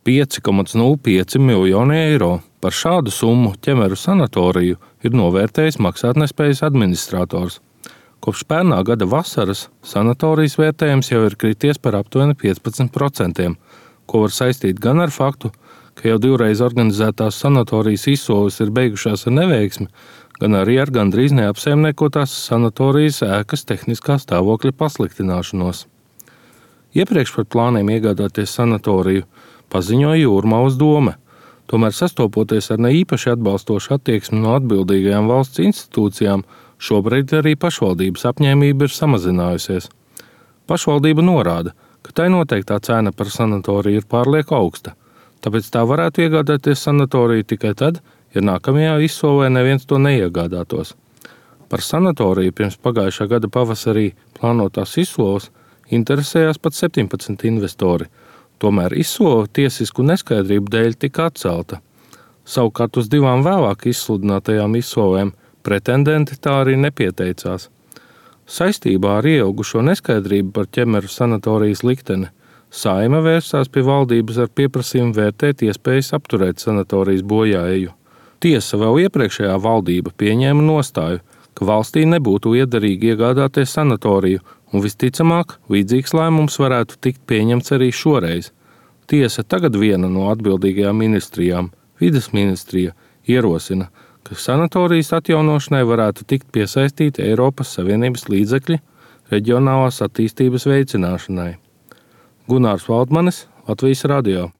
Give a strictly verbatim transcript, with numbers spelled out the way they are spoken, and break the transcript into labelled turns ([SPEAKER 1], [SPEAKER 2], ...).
[SPEAKER 1] pieci komats nulle pieci miljoni eiro. Par šādu summu Ķemeru sanatoriju ir novērtējis maksātnespējas administrators. Kopš pērnā gada vasaras sanatorijas vērtējums jau ir krities par aptuveni piecpadsmit procentiem, ko var saistīt gan ar faktu, ka jau divreiz organizētās sanatorijas izsoles ir beigušās ar neveiksmi, gan arī ar gandrīz neapsaimniekotās sanatorijas ēkas tehniskā stāvokļa pasliktināšanos. Iepriekš par plāniem iegādāties sanatoriju paziņoja Jūrmalas dome, tomēr sastopoties ar neīpaši atbalstošu attieksmi no atbildīgajām valsts institūcijām, šobrīd arī pašvaldības apņēmība ir samazinājusies. Pašvaldība norāda, ka tai noteiktā cena par sanatoriju ir pārlieku augsta, tāpēc tā varētu iegādāties sanatoriju tikai tad, ja nākamajā izsolē neviens to neiegādātos. Par sanatoriju pirms pagājušā gada pavasarī plānotās izsoles interesējās pat septiņpadsmit investori, tomēr izsole tiesisku neskaidrību dēļ tika atcelta. Savukārt uz divām vēlāk izsludinātajām izsolēm pretendenti tā arī nepieteicās. Saistībā ar ieilgušo neskaidrību par Ķemeru sanatorijas likteni Saeima vērsās pie valdības ar pieprasījumu vērtēt iespējas apturēt sanatorijas bojāeju. Tiesa, vēl iepriekšējā valdība pieņēma nostāju, ka valstī nebūtu iederīgi iegādāties sanatoriju, un visticamāk, līdzīgs lēmums varētu tikt pieņemts arī šoreiz. Tiesa, tagad viena no atbildīgajām ministrijām, vides ministrija, ierosina, ka sanatorijas atjaunošanai varētu tikt piesaistīti Eiropas Savienības līdzekļi reģionālās attīstības veicināšanai. Gunārs Valdmanis, Latvijas radio.